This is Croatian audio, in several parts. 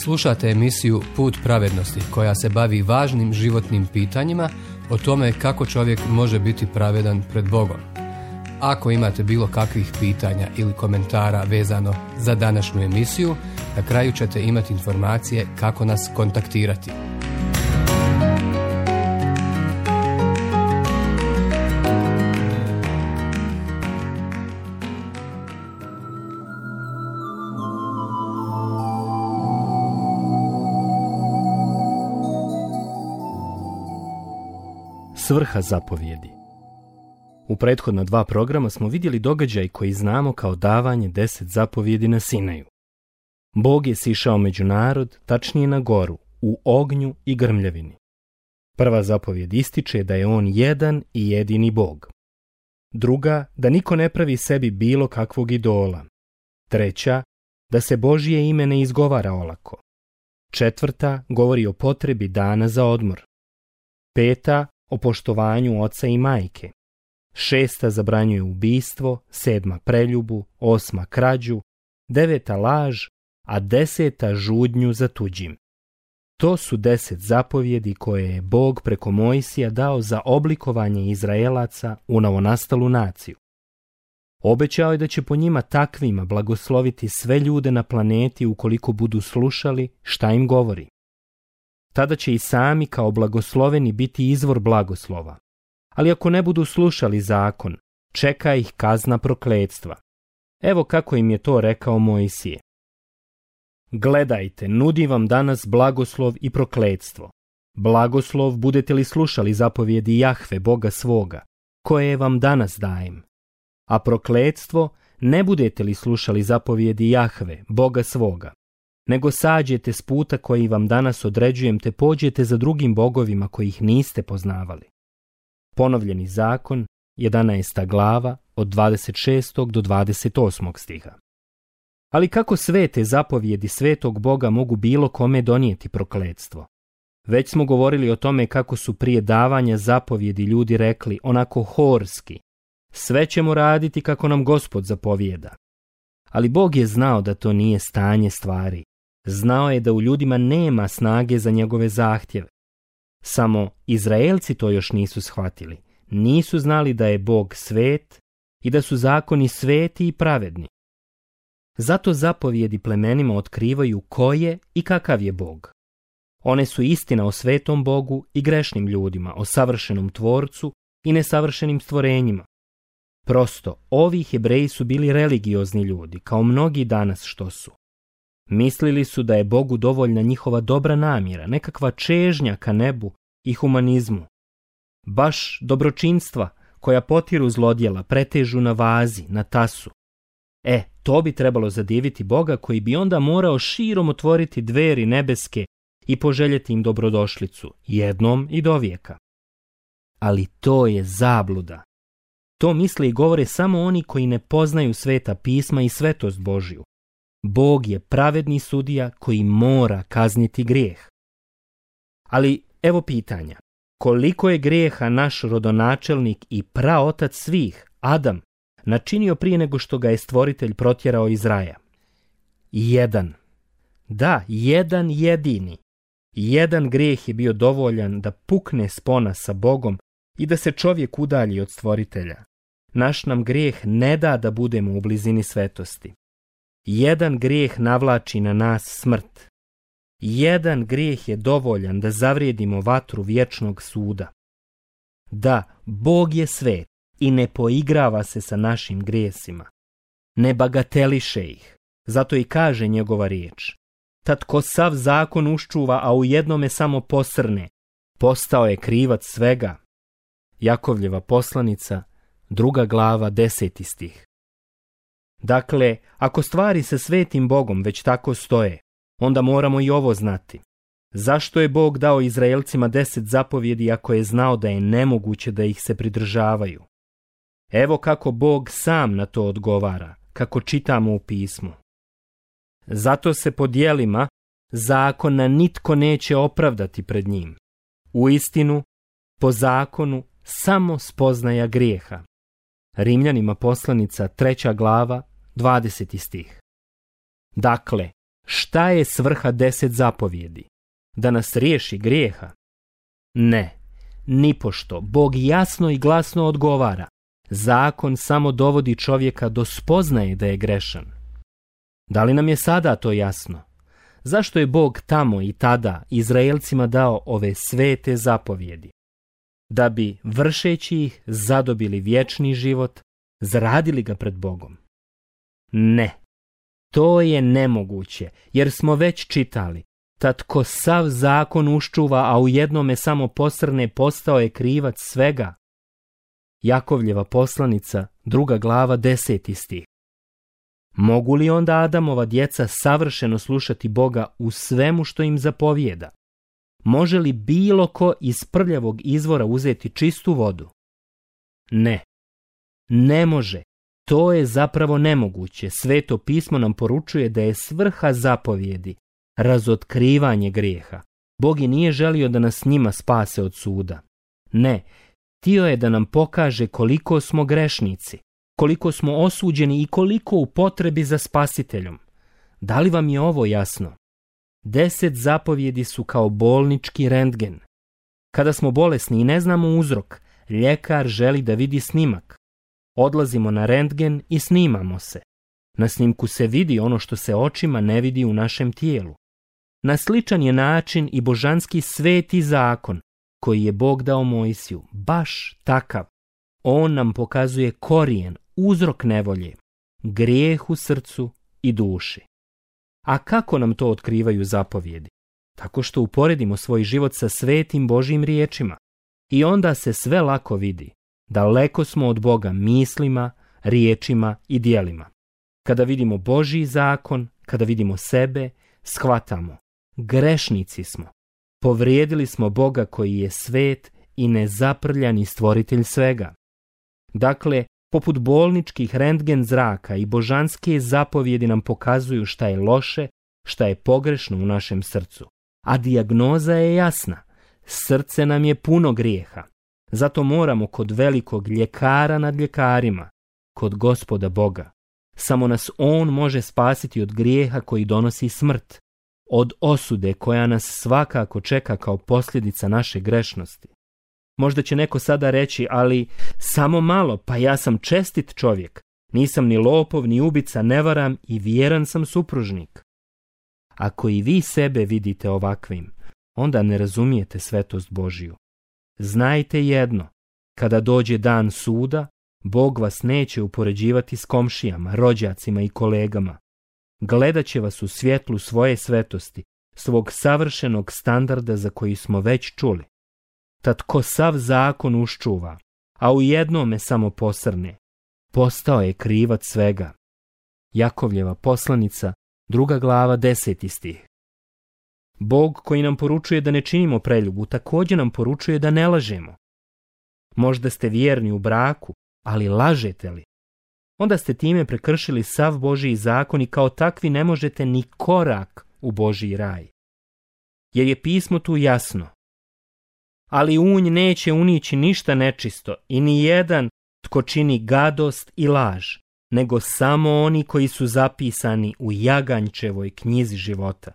Slušate emisiju Put pravednosti koja se bavi važnim životnim pitanjima o tome kako čovjek može biti pravedan pred Bogom. Ako imate bilo kakvih pitanja ili komentara vezano za današnju emisiju, na kraju ćete imati informacije kako nas kontaktirati. Svrha zapovjedi. U prethodna 2 programa smo vidjeli događaj koji znamo kao davanje 10 zapovjedi na Sinaju. Bog je sišao među narod, tačnije na goru, u ognju i grmljavini. Prva zapovjed ističe da je on jedan i jedini Bog. Druga, da niko ne pravi sebi bilo kakvog idola. Treća, da se Božje ime ne izgovara olako. Četvrta, govori o potrebi dana za odmor. Peta, o poštovanju oca i majke. 6. zabranjuje ubistvo, 7. preljubu, 8. krađu, 9. laž, a 10. žudnju za tuđim. To su 10 zapovjedi koje je Bog preko Mojsija dao za oblikovanje Izraelaca u novonastalu naciju. Obećao je da će po njima takvima blagosloviti sve ljude na planeti ukoliko budu slušali šta im govori. Tada će i sami kao blagosloveni biti izvor blagoslova. Ali ako ne budu slušali zakon, čeka ih kazna prokletstva. Evo kako im je to rekao Mojsije. Gledajte, nudi vam danas blagoslov i prokletstvo. Blagoslov budete li slušali zapovjedi Jahve, Boga svoga, koje vam danas dajem. A prokletstvo ne budete li slušali zapovjedi Jahve, Boga svoga, nego sađete s puta koji vam danas određujem te pođete za drugim bogovima kojih niste poznavali. Ponovljeni zakon, 11. glava, od 26. do 28. stiha. Ali kako sve te zapovjedi svetog Boga mogu bilo kome donijeti prokletstvo? Već smo govorili o tome kako su prije davanja zapovjedi ljudi rekli onako horski: sve ćemo raditi kako nam Gospod zapovijeda. Ali Bog je znao da to nije stanje stvari. Znao je da u ljudima nema snage za njegove zahtjeve. Samo Izraelci to još nisu shvatili. Nisu znali da je Bog svet i da su zakoni sveti i pravedni. Zato zapovjedi plemenima otkrivaju ko je i kakav je Bog. One su istina o svetom Bogu i grešnim ljudima, o savršenom tvorcu i nesavršenim stvorenjima. Prosto, ovi Hebreji su bili religiozni ljudi, kao mnogi danas što su. Mislili su da je Bogu dovoljna njihova dobra namjera, nekakva čežnja ka nebu i humanizmu. Baš dobročinstva koja potiru zlodjela pretežu na vazi, na tasu. To bi trebalo zadiviti Boga koji bi onda morao širom otvoriti dveri nebeske i poželjeti im dobrodošlicu, jednom i dovijeka. Ali to je zabluda. To misle i govore samo oni koji ne poznaju sveta pisma i svetost Božju. Bog je pravedni sudija koji mora kazniti grijeh. Ali evo pitanja. Koliko je grijeha naš rodonačelnik i praotac svih, Adam, načinio prije nego što ga je stvoritelj protjerao iz raja? 1. Da, 1 jedini. 1 grijeh je bio dovoljan da pukne spona sa Bogom i da se čovjek udalji od stvoritelja. Naš nam grijeh ne da da budemo u blizini svetosti. 1 grijeh navlači na nas smrt. 1 grijeh je dovoljan da zavrijedimo vatru vječnog suda. Da, Bog je svet i ne poigrava se sa našim grijesima. Ne bagateliše ih. Zato i kaže njegova riječ: tad ko sav zakon uščuva, a u jednome samo posrne, postao je krivac svega. Jakovljeva poslanica, 2. glava, 10. stih. Dakle, ako stvari sa svetim Bogom već tako stoje, onda moramo i ovo znati. Zašto je Bog dao Izraelcima 10 zapovjedi ako je znao da je nemoguće da ih se pridržavaju? Evo kako Bog sam na to odgovara, kako čitamo u pismu. Zato se po djelima zakona nitko neće opravdati pred njim. Uistinu, po zakonu samo spoznaja grijeha. Rimljanima poslanica 3. glava, 20. stih. Dakle, Šta je svrha 10 zapovjedi? Da nas riješi grijeha? Ne, nipošto. Bog jasno i glasno odgovara. Zakon samo dovodi čovjeka do spoznaje da je grešan. Da li nam je sada to jasno? Zašto je Bog tamo i tada Izraelcima dao ove svete zapovjedi? Da bi, vršeći ih, zadobili vječni život, zaradili ga pred Bogom? Ne, to je nemoguće, jer smo već čitali. Tad ko sav zakon uščuva, a u jednome samo posrne, postao je krivac svega. Jakovljeva poslanica, 2. glava, 10. stih. Mogu li onda Adamova djeca savršeno slušati Boga u svemu što im zapovijeda? Može li bilo ko iz prljavog izvora uzeti čistu vodu? Ne. Ne može. To je zapravo nemoguće. Sveto pismo nam poručuje da je svrha zapovjedi razotkrivanje grijeha. Bog i nije želio da nas njima spase od suda. Ne, htio je da nam pokaže koliko smo grešnici, koliko smo osuđeni i koliko u potrebi za spasiteljom. Da li vam je ovo jasno? 10 zapovjedi su kao bolnički rentgen. Kada smo bolesni i ne znamo uzrok, ljekar želi da vidi snimak. Odlazimo na rentgen i snimamo se. Na snimku se vidi ono što se očima ne vidi u našem tijelu. Na sličan je način i božanski sveti zakon koji je Bog dao Mojsiju, baš takav. On nam pokazuje korijen, uzrok nevolje, grijeh u srcu i duši. A kako nam to otkrivaju zapovjedi? Tako što uporedimo svoj život sa svetim Božjim riječima. I onda se sve lako vidi. Daleko smo od Boga mislima, riječima i djelima. Kada vidimo Božji zakon, kada vidimo sebe, shvatamo. Grešnici smo. Povrijedili smo Boga koji je svet i nezaprljani stvoritelj svega. Dakle, poput bolničkih rentgen zraka i božanske zapovjedi nam pokazuju šta je loše, šta je pogrešno u našem srcu. A dijagnoza je jasna. Srce nam je puno grijeha. Zato moramo kod velikog ljekara nad ljekarima, kod Gospoda Boga. Samo nas On može spasiti od grijeha koji donosi smrt, od osude koja nas svakako čeka kao posljedica naše grešnosti. Možda će neko sada reći, ali samo malo, pa ja sam čestit čovjek, nisam ni lopov, ni ubica, ne varam i vjeran sam supružnik. Ako i vi sebe vidite ovakvim, onda ne razumijete svetost Božju. Znajte jedno, kada dođe dan suda, Bog vas neće upoređivati s komšijama, rođacima i kolegama. Gledat će vas u svjetlu svoje svetosti, svog savršenog standarda za koji smo već čuli. Tad ko sav zakon uščuva, a u jednome samo posrne, postao je krivac svega. Jakovljeva poslanica, 2. glava, 10. stih. Bog koji nam poručuje da ne činimo preljubu, također nam poručuje da ne lažemo. Možda ste vjerni u braku, ali lažete li? Onda ste time prekršili sav Božji zakon i kao takvi ne možete ni korak u Božji raj. Jer je pismo tu jasno. Ali unj neće unići ništa nečisto i ni jedan tko čini gadost i laž, nego samo oni koji su zapisani u Jaganjčevoj knjizi života.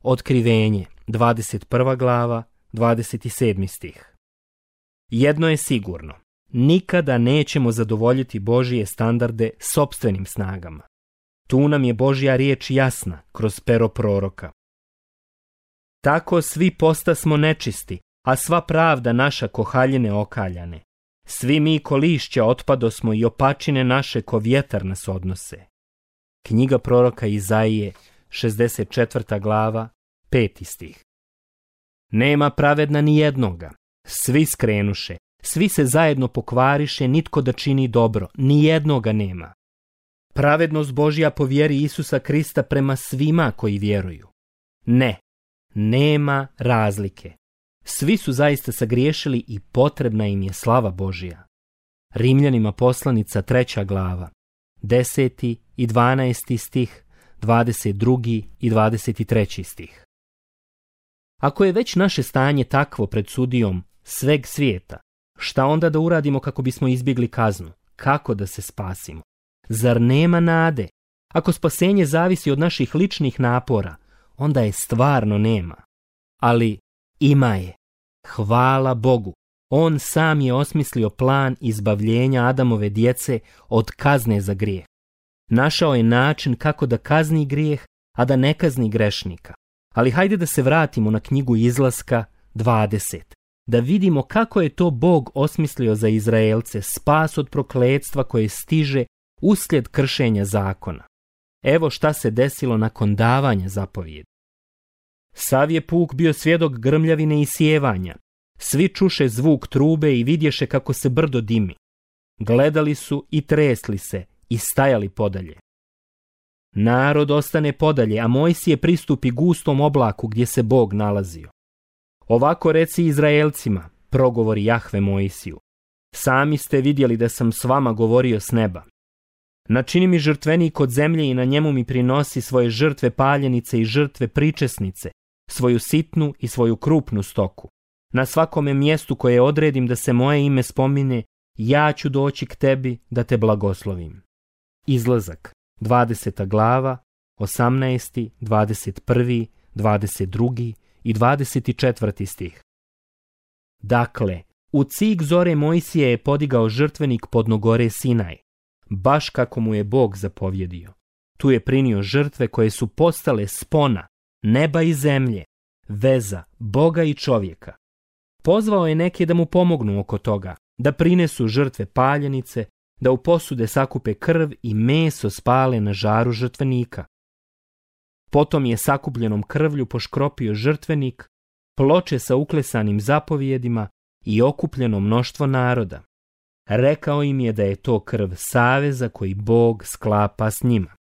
Otkrivenje, 21. glava, 27. stih. Jedno je sigurno, nikada nećemo zadovoljiti Božje standarde sopstvenim snagama. Tu nam je Božja riječ jasna kroz pero proroka. Tako svi postasmo nečisti, a sva pravda naša ko haljine okaljane. Svi mi ko lišća otpadosmo i opačine naše ko vjetar nas odnose. Knjiga proroka Izaije, 64. glava, 5. stih. Nema pravedna ni jednoga, svi skrenuše, svi se zajedno pokvariše, nitko da čini dobro, ni jednoga nema. Pravednost Božja po vjeri Isusa Krista prema svima koji vjeruju. Ne, nema razlike. Svi su zaista sagriješili i potrebna im je slava Božja. Rimljanima poslanica 3. glava, 10. i 12. stih, 22. i 23. stih. Ako je već naše stanje takvo pred sudijom sveg svijeta, šta onda da uradimo kako bismo izbjegli kaznu? Kako da se spasimo? Zar nema nade? Ako spasenje zavisi od naših ličnih napora, onda je stvarno nema. Ali ima je. Hvala Bogu. On sam je osmislio plan izbavljenja Adamove djece od kazne za grijeh. Našao je način kako da kazni grijeh, a da ne kazni grešnika. Ali hajde da se vratimo na knjigu Izlaska 20. Da vidimo kako je to Bog osmislio za Izraelce spas od prokletstva koje stiže uslijed kršenja zakona. Evo šta se desilo nakon davanja zapovjedi. Sav je puk bio svjedok grmljavine i sjevanja. Svi čuše zvuk trube i vidješe kako se brdo dimi. Gledali su i tresli se i stajali podalje. Narod ostane podalje, a Mojsije pristupi gustom oblaku gdje se Bog nalazio. Ovako reci Izraelcima, progovori Jahve Mojsiju. Sami ste vidjeli da sam s vama govorio s neba. Načini mi žrtvenik od zemlje i na njemu mi prinosi svoje žrtve paljenice i žrtve pričesnice, svoju sitnu i svoju krupnu stoku. Na svakome mjestu koje odredim da se moje ime spomine, ja ću doći k tebi da te blagoslovim. Izlazak, 20. glava, 18., 21., 22. i 24. stih. Dakle, u cik zore Mojsije je podigao žrtvenik podno gore Sinaj, baš kako mu je Bog zapovjedio. Tu je prinio žrtve koje su postale spona, neba i zemlje, veza Boga i čovjeka. Pozvao je neke da mu pomognu oko toga, da prinesu žrtve paljenice, da u posude sakupe krv i meso spale na žaru žrtvenika. Potom je sakupljenom krvlju poškropio žrtvenik, ploče sa uklesanim zapovjedima i okupljeno mnoštvo naroda. Rekao im je da je to krv saveza koji Bog sklapa s njima.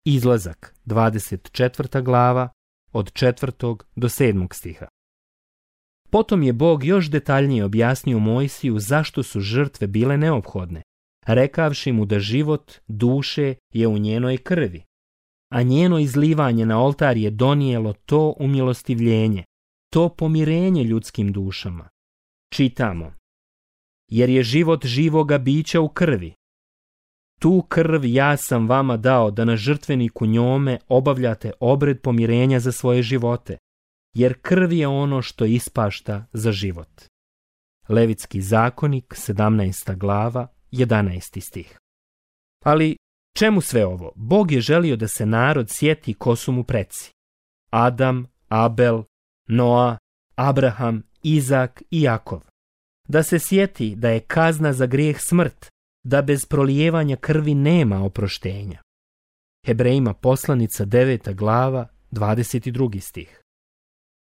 Izlazak, 24. glava, od 4. do 7. stiha. Potom je Bog još detaljnije objasnio Mojsiju zašto su žrtve bile neophodne, rekavši mu da život duše je u njenoj krvi, a njeno izlivanje na oltar je donijelo to umilostivljenje, to pomirenje ljudskim dušama. Čitamo: jer je život živoga bića u krvi. Tu krv ja sam vama dao da na žrtveniku njome obavljate obred pomirenja za svoje živote, jer krv je ono što ispašta za život. Levitski zakonik, 17. glava, 11. stih. Ali čemu sve ovo? Bog je želio da se narod sjeti ko su mu preci. Adam, Abel, Noa, Abraham, Izak i Jakov. Da se sjeti da je kazna za grijeh smrt, da bez prolijevanja krvi nema oproštenja. Hebrejima poslanica 9. glava, 22. stih.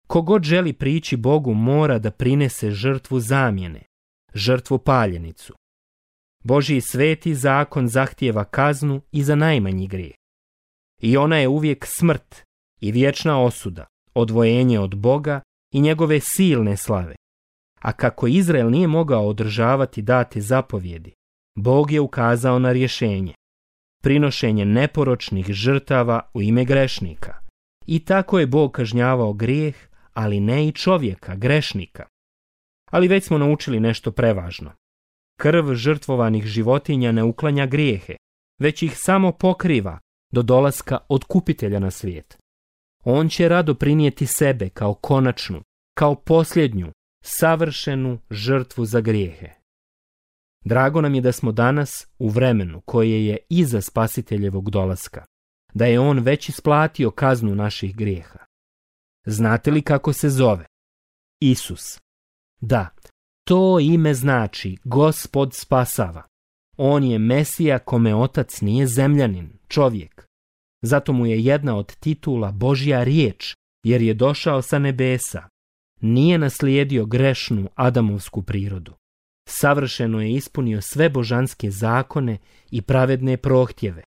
Kogod želi prići Bogu mora da prinese žrtvu zamjene, žrtvu paljenicu. Božji sveti zakon zahtijeva kaznu i za najmanji grijeh. I ona je uvijek smrt i vječna osuda, odvojenje od Boga i njegove silne slave. A kako Izrael nije mogao održavati date zapovjedi, Bog je ukazao na rješenje. Prinošenje neporočnih žrtava u ime grešnika. I tako je Bog kažnjavao grijeh, ali ne i čovjeka, grešnika. Ali već smo naučili nešto prevažno. Krv žrtvovanih životinja ne uklanja grijehe, već ih samo pokriva do dolaska otkupitelja na svijet. On će rado prinijeti sebe kao konačnu, kao posljednju, savršenu žrtvu za grijehe. Drago nam je da smo danas u vremenu koje je iza Spasiteljevog dolaska, da je on već isplatio kaznu naših grijeha. Znate li kako se zove? Isus. Da, to ime znači Gospod spasava. On je Mesija kome otac nije zemljanin, čovjek. Zato mu je jedna od titula Božja riječ, jer je došao sa nebesa. Nije naslijedio grešnu Adamovsku prirodu. Savršeno je ispunio sve božanske zakone i pravedne prohtjeve.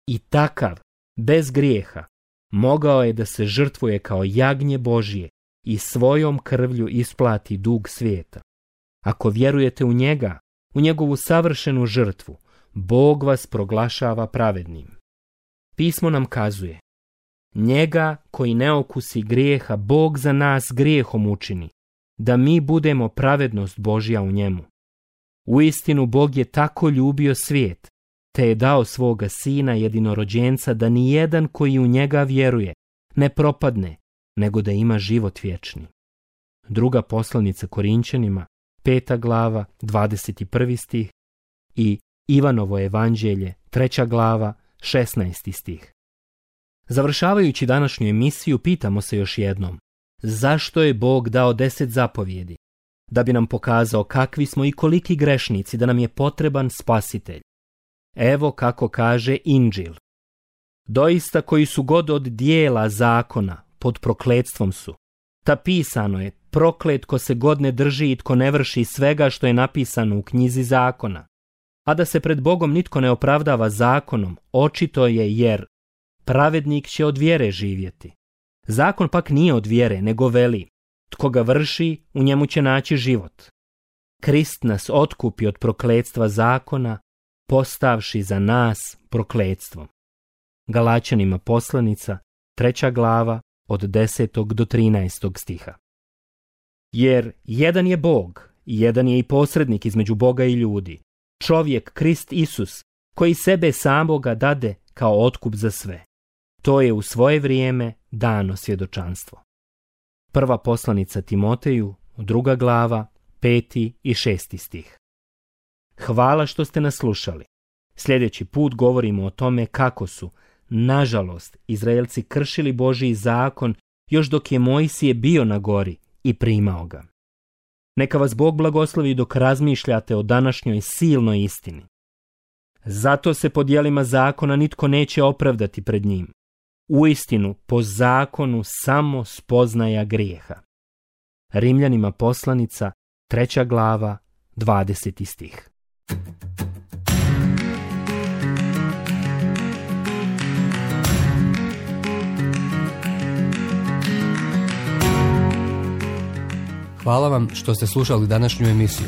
I takav, bez grijeha, mogao je da se žrtvuje kao jagnje Božje i svojom krvlju isplati dug svijeta. Ako vjerujete u njega, u njegovu savršenu žrtvu, Bog vas proglašava pravednim. Pismo nam kazuje: njega koji ne okusi grijeha Bog za nas grijehom učini, da mi budemo pravednost Božja u njemu. Uistinu Bog je tako ljubio svijet, te je dao svoga sina jedinorođenca da ni jedan koji u njega vjeruje ne propadne, nego da ima život vječni. Druga poslanica Korinćanima, 5. glava, 21. stih i Ivanovo evanđelje, 3. glava, 16. stih. Završavajući današnju emisiju, pitamo se još jednom, zašto je Bog dao 10 zapovjedi? Da bi nam pokazao kakvi smo i koliki grešnici, da nam je potreban spasitelj. Evo kako kaže Inđil. Doista koji su god od dijela zakona pod prokletstvom su. Ta pisano je, proklet ko se god ne drži i tko ne vrši svega što je napisano u knjizi zakona. A da se pred Bogom nitko ne opravdava zakonom, očito je jer pravednik će od vjere živjeti. Zakon pak nije od vjere, nego veli, tko ga vrši, u njemu će naći život. Krist nas otkupi od prokletstva zakona, postavši za nas prokletstvom. Galačanima poslanica, 3. glava, od 10. do 13. stiha. Jer jedan je Bog, jedan je i posrednik između Boga i ljudi, čovjek Krist Isus, koji sebe samoga dade kao otkup za sve. To je u svoje vrijeme dano svjedočanstvo. Prva poslanica Timoteju, 2. glava, 5. i 6. stih. Hvala što ste nas slušali. Sljedeći put govorimo o tome kako su, nažalost, Izraelci kršili Božji zakon još dok je Mojsije bio na gori i primao ga. Neka vas Bog blagoslovi dok razmišljate o današnjoj silnoj istini. Zato se po djelima zakona nitko neće opravdati pred njim. Uistinu, po zakonu samo spoznaja grijeha. Rimljanima poslanica, 3. glava, 20. stih. Hvala vam što ste slušali današnju emisiju.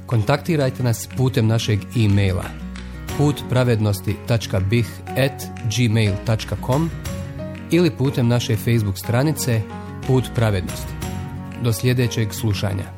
Kontaktirajte nas putem našeg e-maila putpravednosti.bih@gmail.com ili putem naše Facebook stranice Put pravednosti. Do sljedećeg slušanja.